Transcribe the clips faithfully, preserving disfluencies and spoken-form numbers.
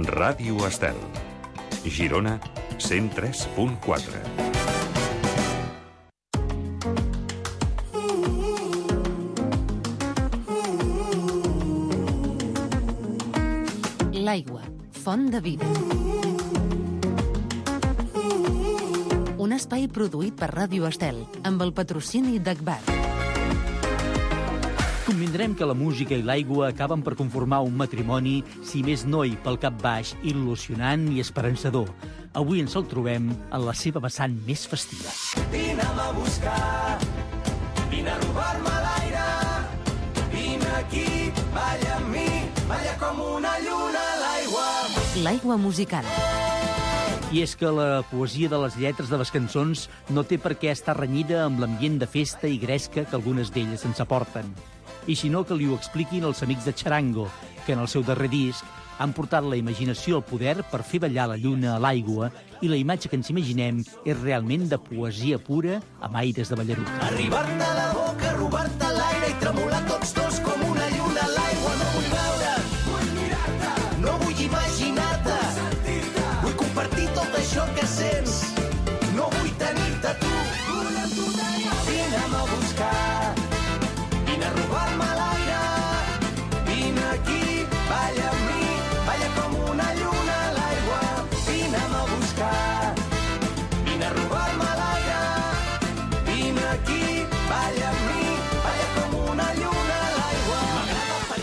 Ràdio Estel. Girona, cent tres punt quatre. L'aigua, font de vida. Un espai produït per Ràdio Estel, amb el patrocini d'Agbar. Convindrem que la música i l'aigua acaben per conformar un matrimoni, si més no hi pel cap baix, il·lusionant i esperançador. Avui ens el trobem en la seva vessant més festiva. Vine'm a buscar, vine a robar-me l'aire, vine aquí, balla amb mi, balla com una lluna a l'aigua. L'aigua musical. I és que la poesia de les lletres de les cançons no té per què estar renyida amb l'ambient de festa i gresca que algunes d'elles ens aporten. I si no, que li ho expliquin els amics de Charango, que en el seu darrer disc han portat la imaginació al poder per fer ballar la lluna a l'aigua, i la imatge que ens imaginem és realment de poesia pura amb aires de Ballarut. Arribar-te a la boca, robar-te l'aire i tremolar tots dos com una lluna a l'aigua. No vull veure, vull mirar-te, no vull imaginar-te, vull sentir-te, vull compartir tot això que sents, no vull tenir-te tu. Vull amb tu d'allò. Vine'm a buscar, vine a robar-me l'aire, vine aquí, balla amb mi, balla com una lluna a l'aigua. Vine'm a buscar, vine a robar-me l'aire, vine aquí, balla amb mi, balla com una lluna a l'aigua.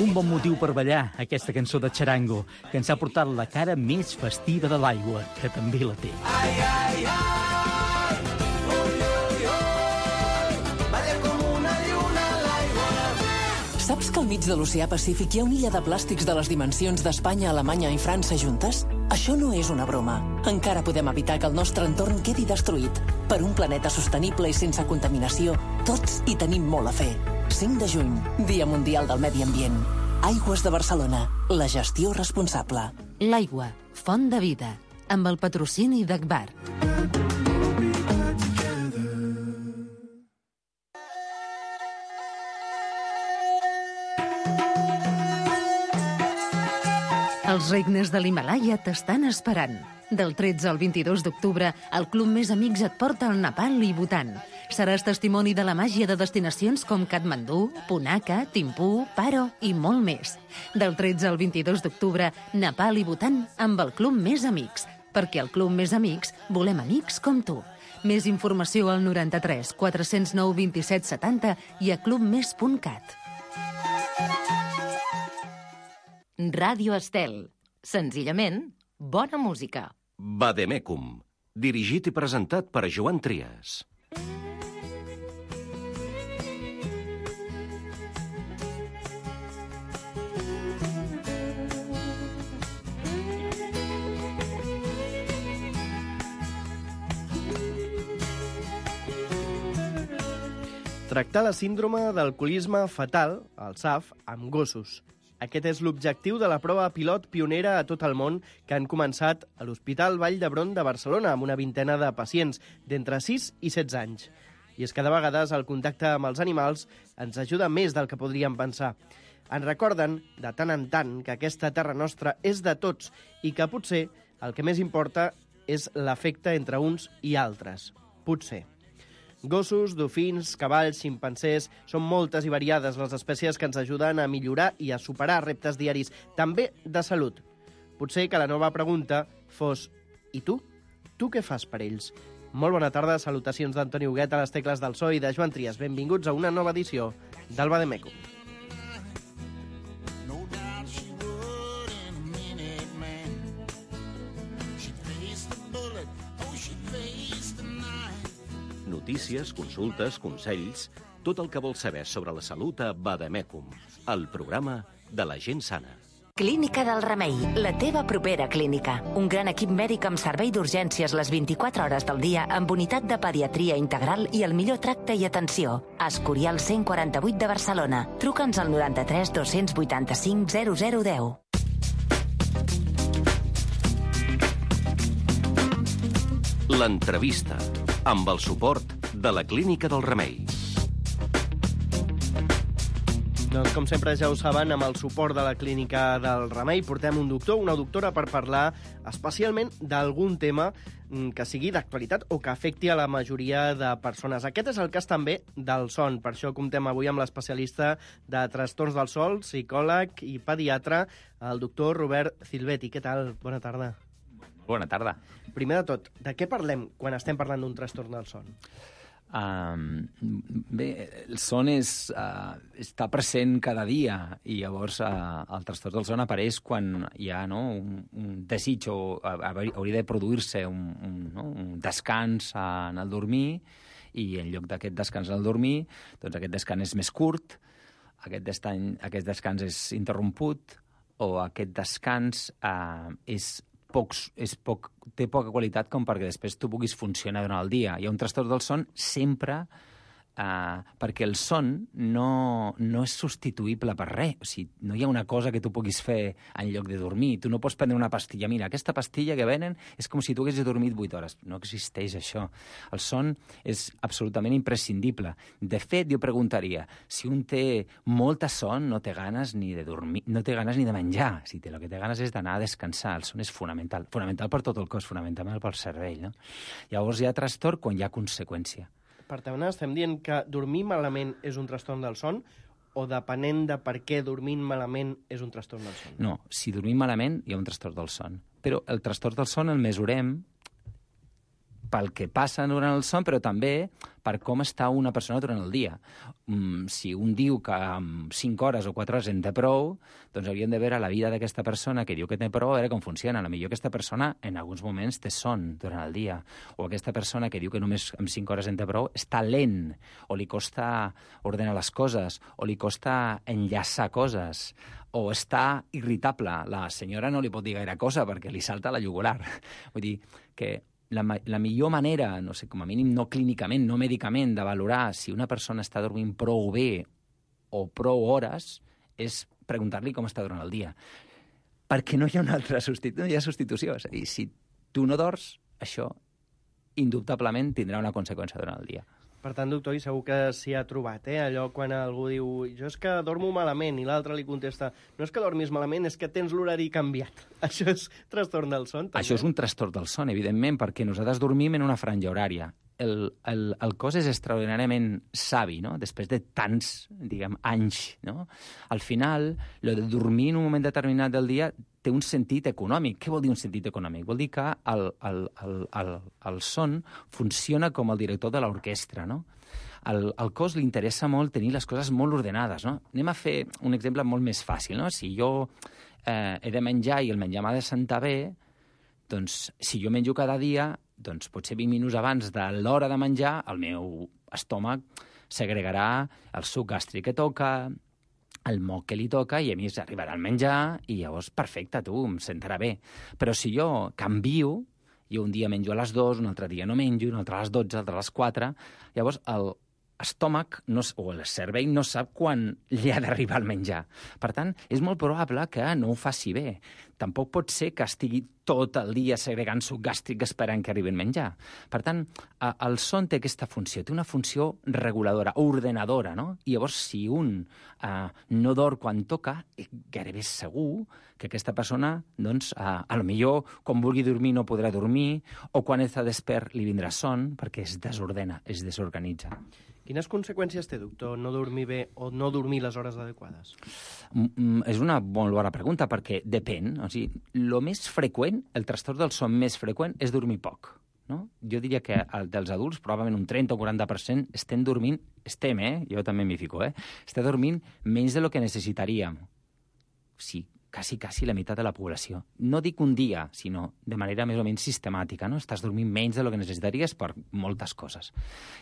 Un bon motiu per ballar, aquesta cançó de Charango, que ens ha portat la cara més festiva de l'aigua, que també la té. Ai, ai, ai, ui, ui, ui, balla com una lluna a l'aigua. Saps que al mig de l'oceà Pacífic hi ha una illa de plàstics de les dimensions d'Espanya, Alemanya i França juntes? Això no és una broma. Encara podem evitar que el nostre entorn quedi destruït. Per un planeta sostenible i sense contaminació, tots hi tenim molt a fer. cinc de juny, Dia Mundial del Medi Ambient. Aigües de Barcelona, la gestió responsable. L'aigua, font de vida, amb el patrocini d'Agbar. Els regnes de l'Himàlaia t'estan esperant. Del tretze al vint-i-dos d'octubre, el Club Més Amics et porta al Nepal i Bhutan. Seràs testimoni de la màgia de destinacions com Katmandú, Punakha, Thimphu, Paro i molt més. Del tretze al vint-i-dos d'octubre, Nepal i Bhutan amb el Club Més Amics, perquè al Club Més Amics volem amics com tu. Més informació al noranta-tres quatre-cents nou vint-i-set setanta i a clubmes punt cat. Ràdio Estel. Senzillament, bona música. Vademecum, dirigit i presentat per Joan Trias. Tractar la síndrome d'alcoholisme fatal, el S A F, amb gossos. Aquest és l'objectiu de la prova pilot pionera a tot el món que han començat a l'Hospital Vall d'Hebron de Barcelona amb una vintena de pacients d'entre sis i setze anys. I és que de vegades el contacte amb els animals ens ajuda més del que podríem pensar. Ens recorden, de tant en tant, que aquesta terra nostra és de tots i que potser el que més importa és l'afecte entre uns i altres. Potser. Gossos, dofins, cavalls, ximpancers... Són moltes i variades les espècies que ens ajuden a millorar i a superar reptes diaris, també de salut. Potser que la nova pregunta fos: i tu? Tu què fas per ells? Molt bona tarda, salutacions d'Antoni Huguet a les tecles del so i de Joan Trias. Benvinguts a una nova edició del Vademecum. Notícies, consultes, consells, tot el que vols saber sobre la salut a Vademecum, el programa de la gent sana. Clínica del Remei, la teva propera clínica. Un gran equip mèdic amb servei d'urgències les vint-i-quatre hores del dia, amb unitat de pediatria integral i el millor tracte i atenció. Escorial cent quaranta-vuit de Barcelona. Truca'ns al noranta-tres dos-cents vuitanta-cinc zero zero deu. L'entrevista, amb el suport de la Clínica del Remei. Doncs, com sempre, ja ho saben, amb el suport de la Clínica del Remei portem un doctor, una doctora, per parlar especialment d'algun tema que sigui d'actualitat o que afecti a la majoria de persones. Aquest és el cas també del son. Per això comptem avui amb l'especialista de trastorns del son, psicòleg i pediatre, el doctor Robert Silvetti. Què tal? Bona tarda. Bona tarda. Primer de tot, de què parlem quan estem parlant d'un trastorn del son? Um, bé, el son és, uh, està present cada dia i llavors uh, el trastorn del son apareix quan hi ha, no, un, un desig o uh, hauria de produir-se un, un, no, un descans en el dormir i en lloc d'aquest descans en el dormir, doncs aquest descans és més curt, aquest, destany, aquest descans és interromput o aquest descans uh, és Pocs, és poc, té poca qualitat com perquè després tu puguis funcionar durant el dia. Hi ha un trastorn del son sempre eh, perquè el son no, no és substituïble per res. O sigui, no hi ha una cosa que tu puguis fer en lloc de dormir. Tu no pots prendre una pastilla. Mira, aquesta pastilla que venen és com si tu haguessis dormit vuit hores. No existeix això. El son és absolutament imprescindible. De fet, jo preguntaria, si un té molta son, no té ganes ni de dormir, no té ganes ni de menjar. Si té, el que té ganes és d'anar a descansar. El son és fonamental. Fonamental per tot el cos, fonamental pel cervell. No? Llavors hi ha trastorn quan hi ha conseqüència. Per tant, estem dient que dormir malament és un trastorn del son o depenent de per què dormint malament és un trastorn del son? No, si dormim malament hi ha un trastorn del son. Però el trastorn del son el mesurem pel que passa durant el son, però també per com està una persona durant el dia. Mm, si un diu que amb cinc hores o quatre hores en té prou, doncs hauríem de veure la vida d'aquesta persona que diu que té prou, a veure com funciona. A lo millor aquesta persona en alguns moments té son durant el dia, o aquesta persona que diu que només amb cinc hores en té prou està lent, o li costa ordenar les coses, o li costa enllaçar coses, o està irritable. La senyora no li pot dir gaire cosa perquè li salta la jugular. Vull dir que La, la millor manera, no sé, com a mínim no clínicament, no mèdicament, de valorar si una persona està dormint prou bé o prou hores és preguntar-li com està durant el dia. Perquè no hi ha una altra substitució, no hi ha substitució. És a dir, si tu no dors, això indubtablement tindrà una conseqüència durant el dia. Per tant, doctor, i segur que s'hi ha trobat, eh? Allò quan algú diu jo és que dormo malament i l'altre li contesta no és que dormis malament, és que tens l'horari canviat. Això és trastorn del son, també? Això és un trastorn del son, evidentment, perquè nosaltres dormim en una franja horària. El, el, el cos és extraordinàriament savi, no? Després de tants, diguem, anys, no? Al final, lo de dormir en un moment determinat del dia té un sentit econòmic. Què vol dir un sentit econòmic? Vol dir que el, el, el, el, el son funciona com el director de l'orquestra, no? Al, al cos li interessa molt tenir les coses molt ordenades, no? Anem a fer un exemple molt més fàcil, no? Si jo eh, he de menjar i el menjar m'ha de sentar bé, doncs si jo menjo cada dia, doncs potser vint minuts abans de l'hora de menjar el meu estómac segregarà el suc gàstric que toca, el moc que li toca, i a mi arribarà el menjar i llavors, perfecte, tu, em sentarà bé. Però si jo canvio, jo un dia menjo a les dues, un altre dia no menjo, un altre a les dotze, un altre a les quatre, llavors el estómac no, o el cervell no sap quan li ha d'arribar el menjar. Per tant, és molt probable que no ho faci bé. Tampoc pot ser que estigui tot el dia segregant suc gàstric esperant que arribi el menjar. Per tant, el son té aquesta funció, té una funció reguladora, ordenadora, no? I llavors, si un eh, no dorm quan toca, gairebé segur que aquesta persona, doncs, eh, a lo millor, quan vulgui dormir no podrà dormir, o quan està despert li vindrà son, perquè es desordena, es desorganitza. Quines conseqüències té, doctor, no dormir bé o no dormir les hores adequades? Mm, és una molt bona pregunta, perquè depèn. O sigui, el més freqüent, el trastorn del son més freqüent és dormir poc. No? Jo diria que el dels adults, probablement un trenta o quaranta per cent, estem dormint, estem, eh? Jo també m'hi fico, eh? Estem dormint menys de lo que necessitaríem. Sí, quasi, quasi la meitat de la població. No dic un dia, sinó de manera més o menys sistemàtica, no? Estàs dormint menys del que necessitaries per moltes coses.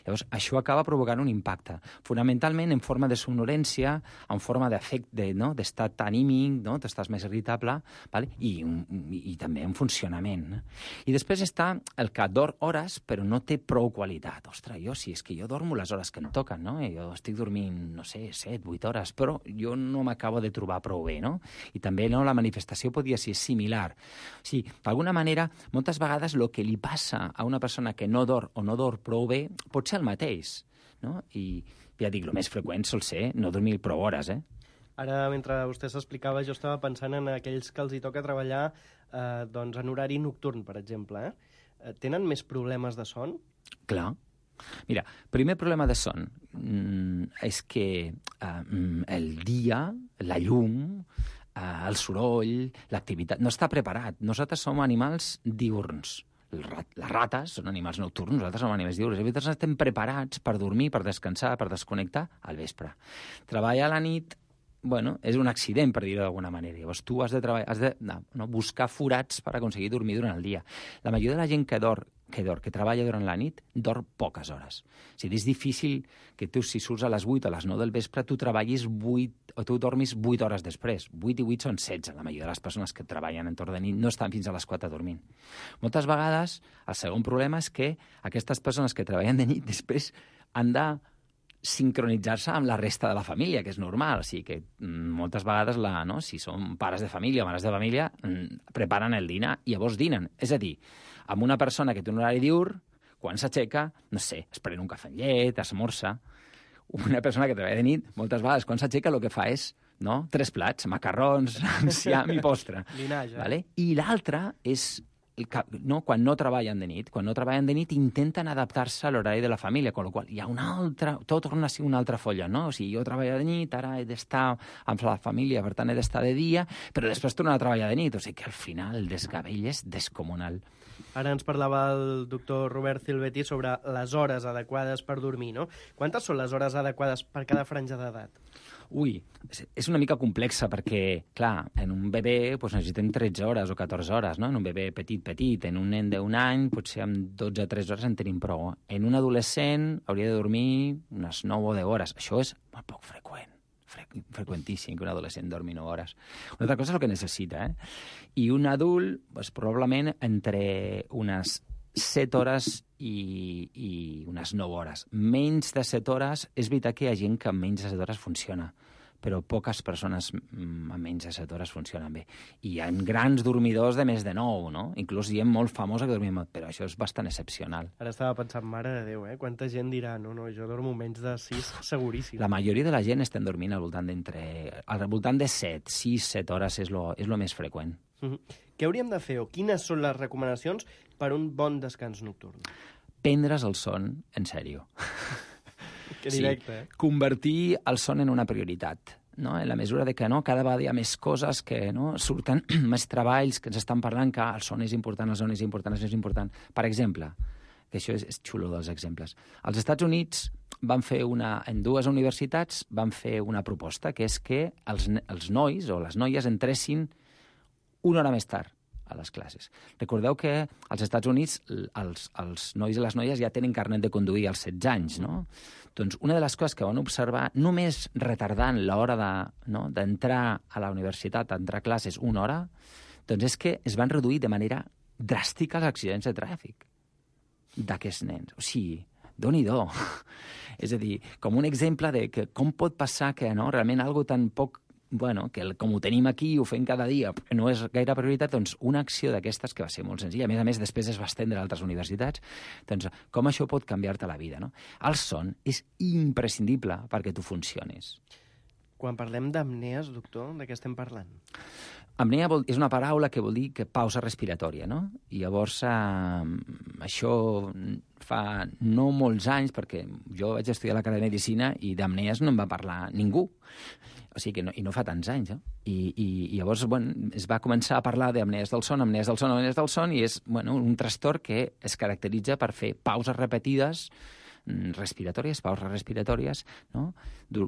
Llavors, això acaba provocant un impacte, fonamentalment en forma de somnolència, en forma d'efecte, no? D'estat anímic, no? T'estàs més irritable, vale? I, i, i també en funcionament. No? I després està el que dorm hores, però no té prou qualitat. Ostres, jo sí, és que jo dormo les hores que em toquen, no? I jo estic dormint, no sé, set, vuit hores, però jo no m'acabo de trobar prou bé, no? I també no, la manifestació podia ser similar. O sigui, d'alguna manera, moltes vegades el que li passa a una persona que no dorm o no dorm prou bé pot ser el mateix, no? I ja dic, el més freqüent sol ser no dormir prou hores, eh? Ara, mentre vostè s'explicava, jo estava pensant en aquells que els hi toca treballar eh, doncs, en horari nocturn, per exemple. Eh? Tenen més problemes de son? Clar. Mira, primer problema de son mm, és que eh, el dia, la llum, eh, el soroll, l'activitat, no està preparat. Nosaltres som animals diürns. Les rates són animals nocturns, nosaltres som animals diürns. Nosaltres estem preparats per dormir, per descansar, per desconnectar al vespre. Treballar a la nit, bueno, és un accident, per dir-ho d'alguna manera. Llavors tu has de, treballar, has de no, no, buscar forats per aconseguir dormir durant el dia. La majoria de la gent que dorm, que dorm, que treballa durant la nit, dorm poques hores. O sigui, és difícil que tu, si surts a les vuit o a les nou del vespre, tu treballis vuit, o tu dormis vuit hores després. vuit i vuit són setze. La majoria de les persones que treballen entorn de nit no estan fins a les quatre dormint. Moltes vegades, el segon problema és que aquestes persones que treballen de nit després han de sincronitzar-se amb la resta de la família, que és normal. O sigui que mm, moltes vegades, la, no, si són pares de família o mares de família, mm, preparen el dinar i llavors dinen. És a dir, amb una persona que té un horari diürn, quan s'aixeca, no sé, es pren un cafè amb llet, esmorza. Una persona que treballa de nit, moltes vegades, quan s'aixeca, el que fa és no, tres plats, macarrons, enciam i postre. Linage. Vale? I l'altre és no, quan no treballen de nit. Quan no treballen de nit intenten adaptar-se a l'horari de la família, amb la qual hi ha una altra... Tot torna a ser una altra folla, no? O sigui, jo treballo de nit, ara he d'estar amb la família, per tant he d'estar de dia, però després torno a treballar de nit. O sigui que al final el desgavell és descomunal. Ara ens parlava el doctor Robert Silvetti sobre les hores adequades per dormir, no? Quantes són les hores adequades per cada franja d'edat? Ui, és una mica complexa perquè, clar, en un bebè doncs, necessitem tretze hores o catorze hores, no? En un bebè petit, petit. En un nen d'un any, potser amb dotze o tres hores en tenim prou. En un adolescent hauria de dormir unes nou o deu hores. Això és molt poc freqüent. Fre freqüentíssim que un adolescent dormi nou hores. Una altra cosa és el que necessita, eh? I un adult, doncs, probablement entre unes set hores i, i unes nou hores. Menys de set hores, és veritat que hi ha gent que amb menys de set hores funciona, però poques persones amb menys de set hores funcionen bé. I hi ha grans dormidors de més de nou, no? Inclús gent molt famosa que dormim, però això és bastant excepcional. Ara estava pensant, mare de Déu, eh? Quanta gent dirà, no, no, jo dormo menys de sis, seguríssim. La majoria de la gent estem dormint al voltant d'entre... al voltant de set, sis, set hores és lo, és lo més freqüent. Mm-hmm. Què hauríem de fer o quines són les recomanacions per un bon descans nocturn? Prendre's el son en sèrio. Que directe, sí. eh? Convertir el son en una prioritat, no? En la mesura de que no, cada vegada hi ha més coses que no, surten, més treballs que ens estan parlant que el son és important, el son és important, el son és important. Per exemple, que això és, és xulo dels exemples, als Estats Units van fer una, en dues universitats van fer una proposta, que és que els, els nois o les noies entressin una hora més tard a les classes. Recordeu que als Estats Units els, els nois i les noies ja tenen carnet de conduir als setze anys, no? Doncs una de les coses que van observar, només retardant l'hora de, no, d'entrar a la universitat, d'entrar a classes una hora, doncs és que es van reduir de manera dràstica els accidents de tràfic d'aquests nens. O sigui, Déu-n'hi-do. És a dir, com un exemple de que com pot passar que no, realment algo tan poc bueno, que el, com ho tenim aquí, ho fem cada dia, no és gaire prioritat, doncs una acció d'aquestes que va ser molt senzilla, a més a més després es va estendre a altres universitats, doncs com això pot canviar-te la vida, no? El son és imprescindible perquè tu funcionis. Quan parlem d'apnees, doctor, de què estem parlant? Apnea vol, és una paraula que vol dir que pausa respiratòria, no? I llavors eh, això fa no molts anys, perquè jo vaig estudiar a la carrera de Medicina i d'apnees no en va parlar ningú. O sigui que no, i no fa tants anys, eh? I, i, i llavors, bueno, es va començar a parlar d'apnees del son, apnees del son, apnees del son, i és, bueno, un trastorn que es caracteritza per fer pauses repetides respiratòries, pauses respiratòries, no?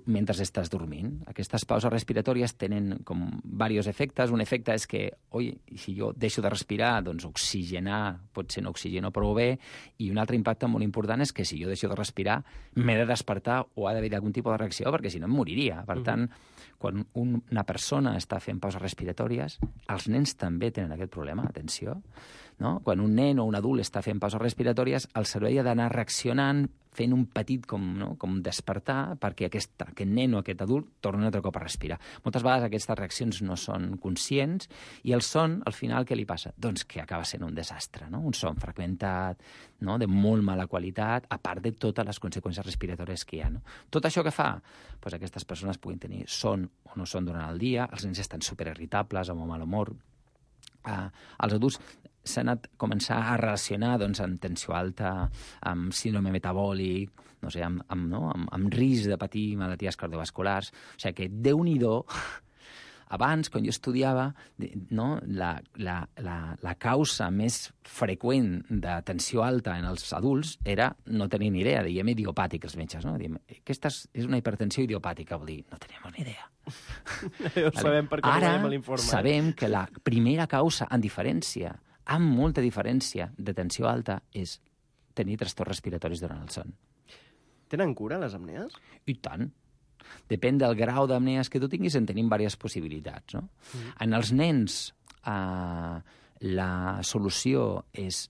Mentre estàs dormint. Aquestes pauses respiratòries tenen com diversos efectes. Un efecte és que, oi, si jo deixo de respirar, doncs oxigenar, potser no oxigeno prou bé, i un altre impacte molt important és que si jo deixo de respirar, m'he de despertar o ha d'haver algun tipus de reacció, perquè si no em moriria. Per tant, quan una persona està fent pauses respiratòries, els nens també tenen aquest problema, atenció, no? Quan un nen o un adult està fent pauses respiratòries, el cervell ha d'anar reaccionant fent un petit com, no? com despertar perquè aquest, aquest nen o aquest adult torni un altre cop a respirar. Moltes vegades aquestes reaccions no són conscients i el son, al final, què li passa? Doncs que acaba sent un desastre, no? Un son fragmentat, no? De molt mala qualitat, a part de totes les conseqüències respiratòries que hi ha. No? Tot això que fa? Pues aquestes persones puguin tenir son o no son durant el dia, els nens estan superirritables, amb mal humor. Uh, els adults s'han anat a començar a relacionar doncs, amb tensió alta, amb síndrome metabòlic, no sé, amb, amb, no? amb, amb risc de patir malalties cardiovasculars. O sigui que, Déu-n'hi-do, abans, quan jo estudiava, no? la, la, la, la causa més freqüent de tensió alta en els adults era no tenir ni idea, diem idiopàtic els metges. No? Diem, aquesta és una hipertensió idiopàtica, vol dir, no tenim ni idea. Ho sabem perquè no veiem l'informe. Ara sabem que la primera causa, en diferència, amb molta diferència de tensió alta, és tenir trastorns respiratoris durant el son. Tenen cura, les apnees? I tant. Depèn del grau d'apnees que tu tinguis, en tenim diverses possibilitats. No? Mm. En els nens, eh, la solució és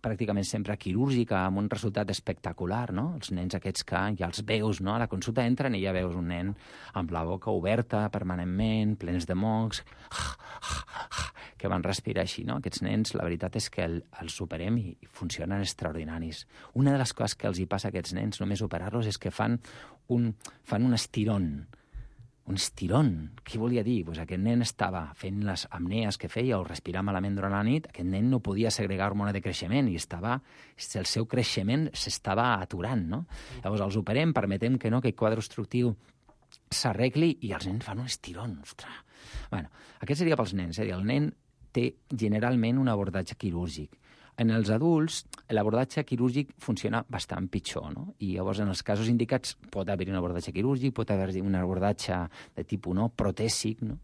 pràcticament sempre quirúrgica, amb un resultat espectacular, no? Els nens aquests que ja els veus, no? A la consulta entren i ja veus un nen amb la boca oberta permanentment, plens de mocs, que van respirar així, no? Aquests nens, la veritat és que el, els superem i, i funcionen extraordinaris. Una de les coses que els hi passa a aquests nens, només operar-los, és que fan un, fan un estirón, un estirón. Què volia dir? Pues aquest nen estava fent les apnees que feia o respirar malament durant la nit, aquest nen no podia segregar hormona de creixement i estava, el seu creixement s'estava aturant, no? Llavors els operem, permetem que no, que el quadre obstructiu s'arregli i els nens fan un estirón. Ostres. Bueno, aquest seria pels nens, eh? El nen té generalment un abordatge quirúrgic. En els adults, l'abordatge quirúrgic funciona bastant pitjor, no? I llavors, en els casos indicats, pot haver-hi un abordatge quirúrgic, pot haver-hi un abordatge de tipus no, protèsic, no?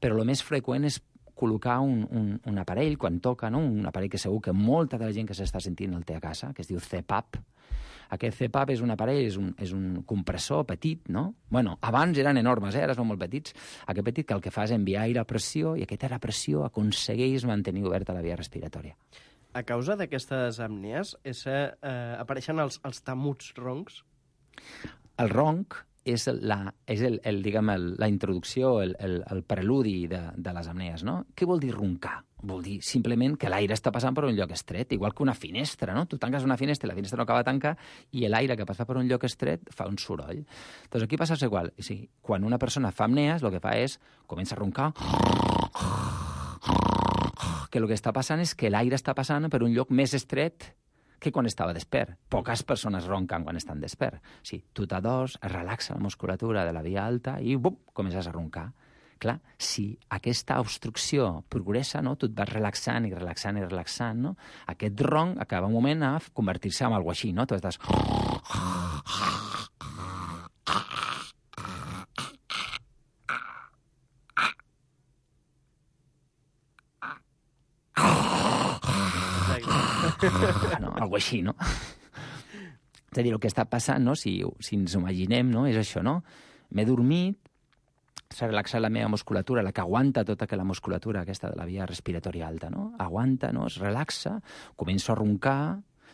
Però el més freqüent és col·locar un, un, un aparell, quan toca, no? Un aparell que segur que molta de la gent que s'està sentint el té a casa, que es diu C PAP. Aquest C PAP és un aparell, és un, és un compressor petit, no? Bueno, abans eren enormes, eh? Ara són molt petits. Aquest petit que el que fa és enviar aire a pressió i aquest aire a pressió aconsegueix mantenir oberta la via respiratòria. A causa d'aquestes apnees, és, eh, apareixen els, els tamuts roncs? El ronc és, la, és el, el, diguem, el, la introducció, el, el, el preludi de, de les apnees, no? Què vol dir roncar? Vol dir simplement que l'aire està passant per un lloc estret, igual que una finestra, no? Tu tanques una finestra i la finestra no acaba de tancar i l'aire que passa per un lloc estret fa un soroll. Doncs aquí passa igual. O sigui, quan una persona fa apnees, el que fa és comença a roncar, que el que està passant és que l'aire està passant per un lloc més estret que quan estava despert. Poques persones ronquen quan estan despert. O sigui, tu t'adors, es relaxa la musculatura de la via alta i bum, comences a roncar. Clar, si aquesta obstrucció progressa, no? Tu et vas relaxant i relaxant i relaxant, no? Aquest ronc acaba un moment a convertir-se en alguna així, no? Tu estàs... no? Algo així, no? És a dir, el que està passant, no? Si, si ens ho imaginem, no? És això, no? M'he dormit, s'ha relaxat la meva musculatura, la que aguanta tota aquella musculatura aquesta de la via respiratòria alta, no? Aguanta, no? Es relaxa, començo a roncar,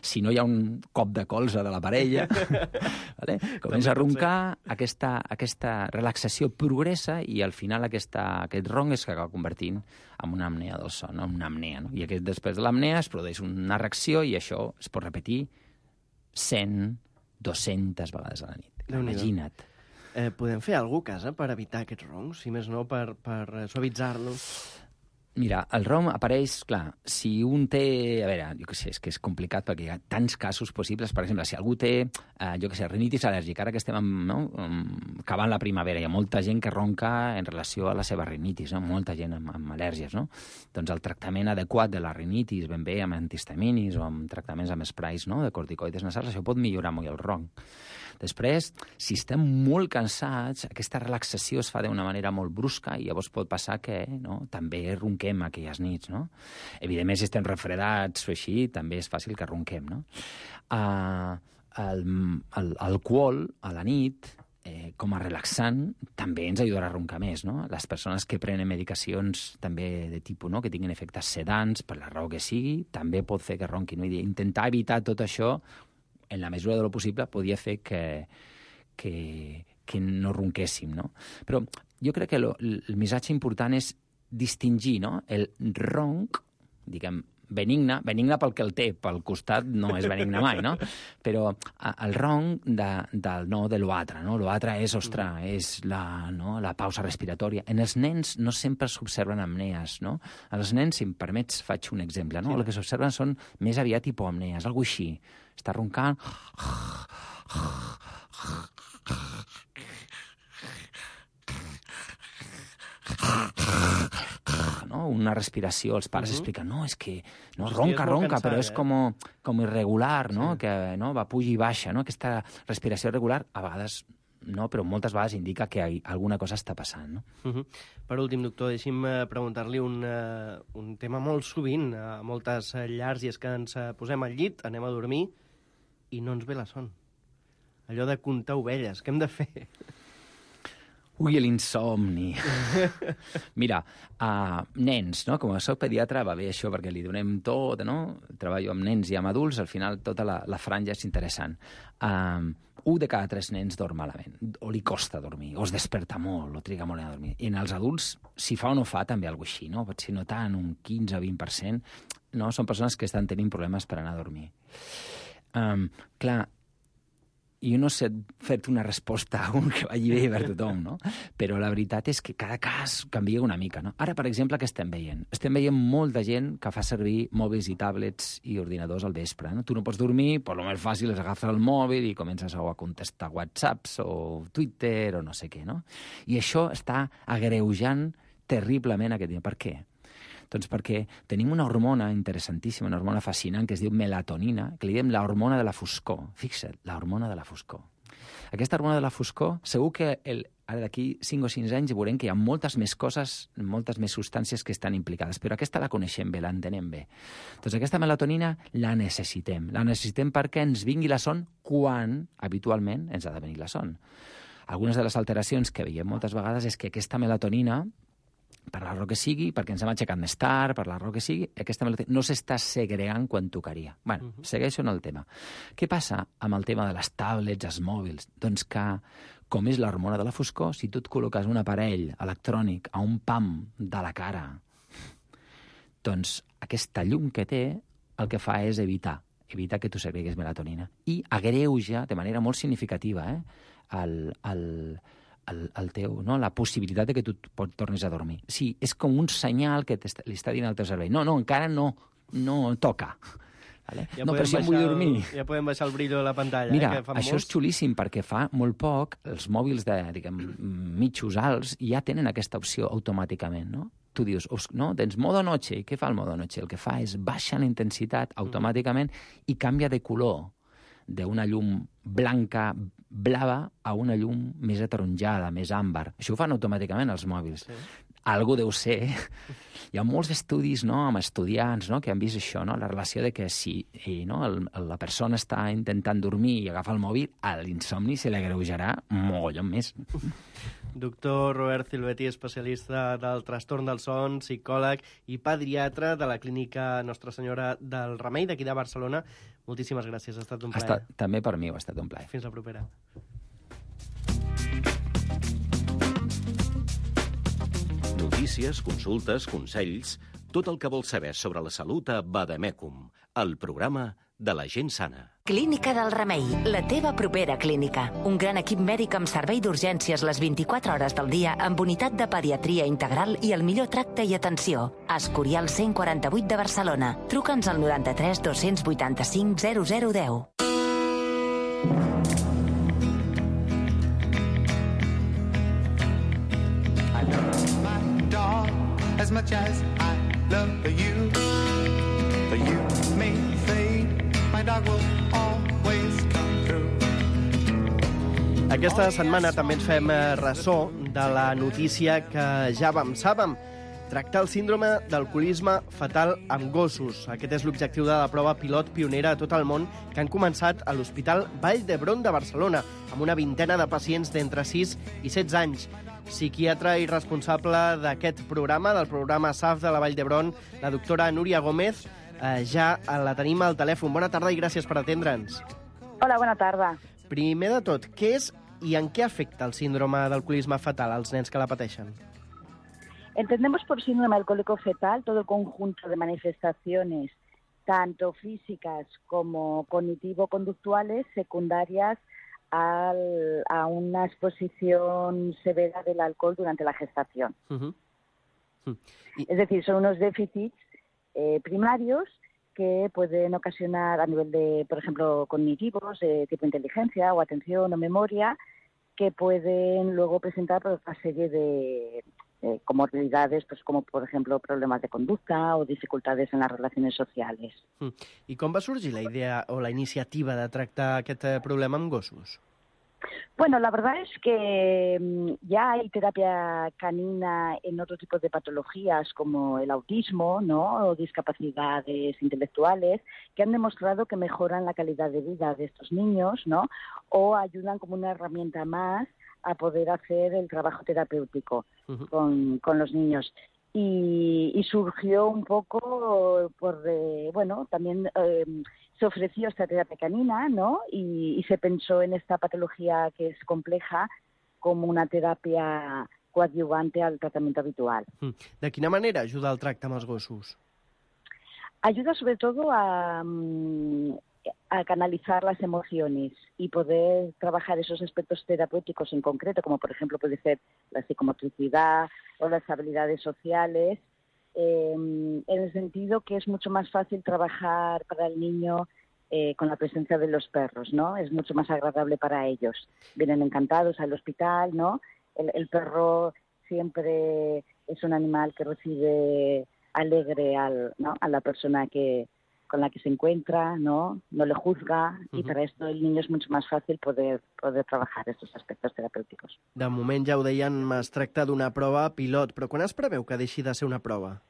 si no hi ha un cop de colze de la parella, vale? Comença a roncar, aquesta, aquesta relaxació progressa i al final aquesta, aquest ronc es acaba convertint en una apnea del son, en una apnea. No? I aquest, després de l'apnea es produeix una reacció i això es pot repetir cent, dues-centes vegades a la nit. Imagina't. Eh, podem fer alguna cosa a casa per evitar aquests roncs? Si més no, per, per suavitzar-los? Mira, el rom apareix, clar, si un té... A veure, jo què sé, és que és complicat perquè hi ha tants casos possibles. Per exemple, si algú té, eh, jo què sé, rinitis al·lèrgica, ara que estem amb, no, acabant la primavera, hi ha molta gent que ronca en relació a la seva rinitis, no? Molta gent amb, amb al·lèrgies, no? Doncs el tractament adequat de la rinitis, ben bé amb antihistaminis o amb tractaments amb sprays, no?, de corticoides nasals, això pot millorar molt el ronc. Després, si estem molt cansats, aquesta relaxació es fa d'una manera molt brusca i llavors pot passar que no, també ronquem aquelles nits, no? Evidentment, si estem refredats o així, també és fàcil que ronquem, no? Uh, el, el, alcohol a la nit, eh, com a relaxant, també ens ajudarà a roncar més, no? Les persones que prenen medicacions també de tipus, no?, que tinguin efectes sedants, per la raó que sigui, també pot fer que ronquin. No? I intentar evitar tot això en la mesura de lo possible, podia fer que, que, que no ronquéssim, no? Però jo crec que lo, el missatge important és distingir, no?, el ronc, diguem, benigne, benigne pel que el té, pel costat no és benigne mai, no? Però el ronc de, del, no, de l'altre, no? L'altre és, ostres, és la, no, la pausa respiratòria. En els nens no sempre s'observen apnees, no? Els nens, si em permets, faig un exemple, no? Sí. El que s'observen són més aviat hipoapnees, alguna així. Està roncant... No? Una respiració, els pares uh -huh. expliquen, no, és que no, ronca, ronca, cansat, però és eh? com, com irregular, no? Sí. Que no, va puja i baixa, no? Aquesta respiració irregular, a vegades, no, però moltes vegades indica que hi, alguna cosa està passant, no? Uh -huh. Per últim, doctor, deixi'm preguntar-li un, uh, un tema molt sovint a moltes llars, i és que ens posem al llit, anem a dormir i no ens ve la son. Allò de comptar ovelles, què hem de fer? Ui, l'insomni. Mira, uh, nens, no? Com a soc pediatre va bé això perquè li donem tot, no? Treballo amb nens i amb adults, al final tota la, la franja és interessant. Uh, un de cada tres nens dorm malament, o li costa dormir, o es desperta molt, o triga molt a dormir. I en els adults, si fa o no fa, també alguna així, no? Pot ser no tant, un quinze o vint per cent, no? Són persones que estan tenint problemes per anar a dormir. Um, clar, jo no sé fer-te una resposta a un que vagi bé per tothom, no? Però la veritat és que cada cas canvia una mica, no? Ara, per exemple, què estem veient? Estem veient molta gent que fa servir mòbils i tablets i ordinadors al vespre, no? Tu no pots dormir, però el més fàcil és agafar el mòbil i comences a contestar whatsapps o Twitter o no sé què, no? I això està agreujant terriblement aquest dia. Per què? Doncs perquè tenim una hormona interessantíssima, una hormona fascinant, que es diu melatonina, que li diem la hormona de la foscor. Fixa't, la hormona de la foscor. Aquesta hormona de la foscor, segur que el, ara d'aquí cinc o sis anys veurem que hi ha moltes més coses, moltes més substàncies que estan implicades, però aquesta la coneixem bé, l'entenem bé. Doncs aquesta melatonina la necessitem. La necessitem perquè ens vingui la son quan, habitualment, ens ha de venir la son. Algunes de les alteracions que veiem moltes vegades és que aquesta melatonina, per la raó que sigui, perquè ens hem aixecat més tard, per la raó que sigui, aquesta melatonina no s'està segregant quan tocaria. Bé, uh -huh. segueixo en el tema. Què passa amb el tema de les tablets, els mòbils? Doncs que, com és l'hormona de la foscor, si tu et col·loques un aparell electrònic a un pam de la cara, doncs aquesta llum que té el que fa és evitar, evitar que tu segregues melatonina. I agreuja de manera molt significativa eh, el... el El, el teu, no? La possibilitat de que tu pot, tornis a dormir. Sí, és com un senyal que li està dient al teu cervell. No, no, encara no, no toca. Vale? Ja no, però si em vull dormir. Ja podem baixar el brillo de la pantalla. Mira, eh, que fan això molts. És xulíssim perquè fa molt poc els mòbils de, diguem, mitjos alts ja tenen aquesta opció automàticament, no? Tu dius, no, tens modo noche, i què fa el modo noche? El que fa és baixar la intensitat automàticament i canvia de color d'una llum blanca, blava, a una llum més ataronjada, més àmbar. Això ho fan automàticament els mòbils. Sí. Algú deu ser. Hi ha molts estudis, no?, amb estudiants, no?, que han vist això, no?, la relació de que si i, no, el, la persona està intentant dormir i agafa el mòbil, a l'insomni se li agreujarà mogollon més. Doctor Robert Silvetti, especialista del trastorn del son, psicòleg i pediatre de la clínica Nostra Senyora del Remei d'aquí de Barcelona. Moltíssimes gràcies, ha estat un plaer. Estat, també per mi ho ha estat un plaer. Fins la propera. Notícies, consultes, consells, tot el que vols saber sobre la salut a Vademecum, el programa de la gent sana. Clínica del Remei, la teva propera clínica. Un gran equip mèdic amb servei d'urgències les vint-i-quatre hores del dia, amb unitat de pediatria integral i el millor tracte i atenció. Escorial cent quaranta-vuit de Barcelona. Truca'ns al noranta-tres dos-cents vuitanta-cinc zero zero deu. I love my dog as much as I love you. But you may fade, my dog will always come through. Aquesta setmana també ens fem ressò de la notícia que ja vam sàvem. Tractar el síndrome d'alcoholisme fatal amb gossos. Aquest és l'objectiu de la prova pilot pionera a tot el món que han començat a l'Hospital Vall d'Hebron de Barcelona, amb una vintena de pacients d'entre sis i setze anys. Psiquiatra i responsable d'aquest programa, del programa S A F de la Vall d'Hebron, la doctora Núria Gómez, eh, ja la tenim al telèfon. Bona tarda i gràcies per atendre'ns. Hola, bona tarda. Primer de tot, què és y en qué afecta el síndrome d'alcoholisme fetal als nens que la pateixen? Entendemos por síndrome alcohólico fetal todo el conjunto de manifestaciones, tanto físicas como cognitivo-conductuales, secundarias al, a una exposición severa del alcohol durante la gestación. Uh-huh. Uh-huh. Y... Es decir, son unos déficits eh, primarios que pueden ocasionar a nivel de, por ejemplo, cognitivos, de tipo inteligencia o atención o memoria, que pueden luego presentar pues, una serie de eh, comorbilidades, pues, como por ejemplo problemas de conducta o dificultades en las relaciones sociales. Mm. I com va sorgir la idea o la iniciativa de tractar aquest problema amb gossos? Bueno, la verdad es que ya hay terapia canina en otro tipo de patologías como el autismo, ¿no? O discapacidades intelectuales que han demostrado que mejoran la calidad de vida de estos niños, ¿no? O ayudan como una herramienta más a poder hacer el trabajo terapéutico uh-huh. con, con los niños. Y, y surgió un poco por, eh, bueno, también eh, se ofreció esta terapia canina, ¿no? Y, y se pensó en esta patología que es compleja como una terapia coadyuvante al tratamiento habitual. De quina manera ajuda el tracte amb els gossos? Ayuda sobre todo a, a canalizar las emociones y poder trabajar esos aspectos terapéuticos en concreto, como por ejemplo puede ser la psicomotricidad o las habilidades sociales, eh, en el sentido que es mucho más fácil trabajar para el niño eh, con la presencia de los perros, ¿no? Es mucho más agradable para ellos. Vienen encantados al hospital, ¿no? El, el perro siempre es un animal que recibe alegre al, ¿no? a la persona que con la que se encuentra, ¿no? No le juzga, uh-huh. y para esto el niño es mucho más fácil poder, poder trabajar estos aspectos terapéuticos. De moment, ja ho deien, es tracta d'una prova pilot, però quan es preveu que deixi de ser una prova?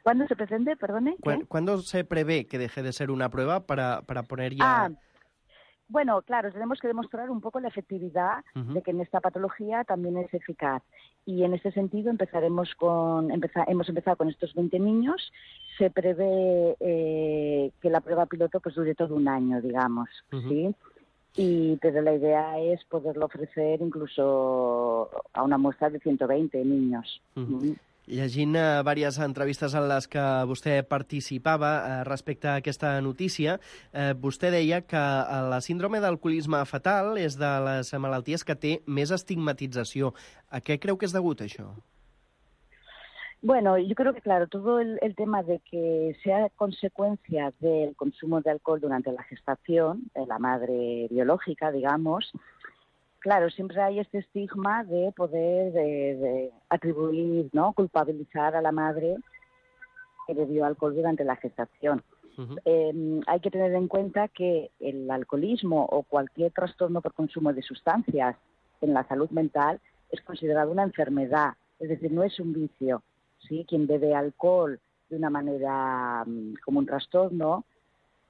¿Cuándo se pretende, perdone? ¿Cuándo, ¿Cuándo se prevé que deje de ser una prueba para, para poner ya...? Ah, bueno, claro, tenemos que demostrar un poco la efectividad uh-huh. de que en esta patología también es eficaz. Y en ese sentido empezaremos con, empeza, hemos empezado con estos veinte niños. Se prevé eh, que la prueba piloto pues dure todo un año, digamos, uh-huh. ¿sí? Y, pero la idea es poderlo ofrecer incluso a una muestra de ciento veinte niños. Uh-huh. Uh-huh. Llegint uh, diverses entrevistes en les que vostè participava uh, respecte a aquesta notícia, uh, vostè deia que uh, la síndrome d'alcoholisme fetal és de les malalties que té més estigmatització. A què creu que és degut això? Bueno, yo creo que, claro, todo el, el tema de que sea consecuencia del consumo de alcohol durante la gestación, de la madre biológica, digamos, claro, siempre hay este estigma de poder de, de atribuir, ¿no? Culpabilizar a la madre que bebió alcohol durante la gestación. Uh-huh. Eh, hay que tener en cuenta que el alcoholismo o cualquier trastorno por consumo de sustancias en la salud mental es considerado una enfermedad, es decir, no es un vicio, ¿sí? Quien bebe alcohol de una manera um, como un trastorno,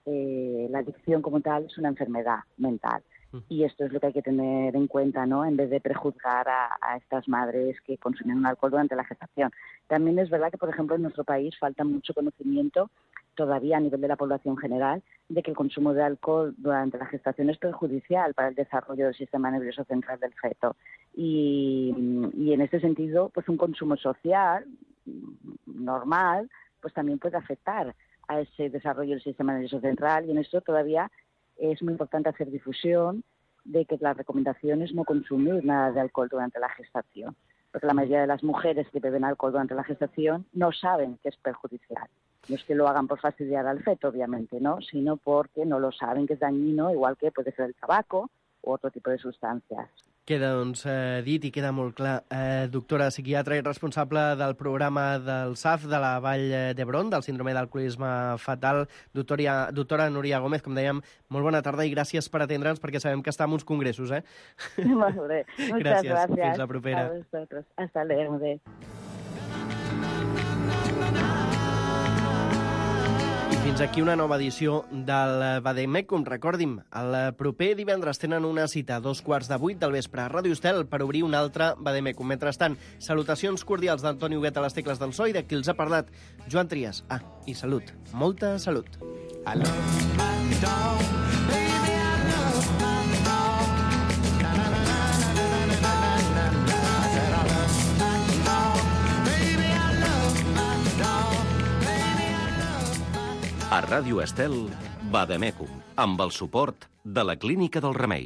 eh, la adicción como tal es una enfermedad mental. Y esto es lo que hay que tener en cuenta, ¿no? En vez de prejuzgar a, a estas madres que consumen alcohol durante la gestación. También es verdad que, por ejemplo, en nuestro país falta mucho conocimiento todavía a nivel de la población general de que el consumo de alcohol durante la gestación es perjudicial para el desarrollo del sistema nervioso central del feto. Y, y en este sentido, pues un consumo social normal, pues también puede afectar a ese desarrollo del sistema nervioso central, y en esto todavía es muy importante hacer difusión de que la recomendación es no consumir nada de alcohol durante la gestación, porque la mayoría de las mujeres que beben alcohol durante la gestación no saben que es perjudicial. No es que lo hagan por fastidiar al feto, obviamente, ¿no? Sino porque no lo saben que es dañino, igual que puede ser el tabaco u otro tipo de sustancias. Queda, doncs, eh, dit i queda molt clar. Eh, doctora psiquiatra i responsable del programa del S A F de la Vall d'Hebron, del síndrome d'alcoholisme fatal, doctora, doctora Núria Gómez, com dèiem, molt bona tarda i gràcies per atendre'ns, perquè sabem que està en uns congressos, eh? Molt bé. Muchas gràcies. gracias. Fins la propera. A vosotros. Hasta luego. Fins aquí una nova edició del Vademecum. Recordi'm, el proper divendres tenen una cita a dos quarts de vuit del vespre a Ràdio Estel per obrir un altre Vademecum. Mentrestant, salutacions cordials d'Antoni Huguet a les tecles del so i de qui els ha parlat, Joan Trias. Ah, i salut. Molta salut. I love my dog, baby, I Ràdio Estel, Vademecum, amb el suport de la Clínica del Remei.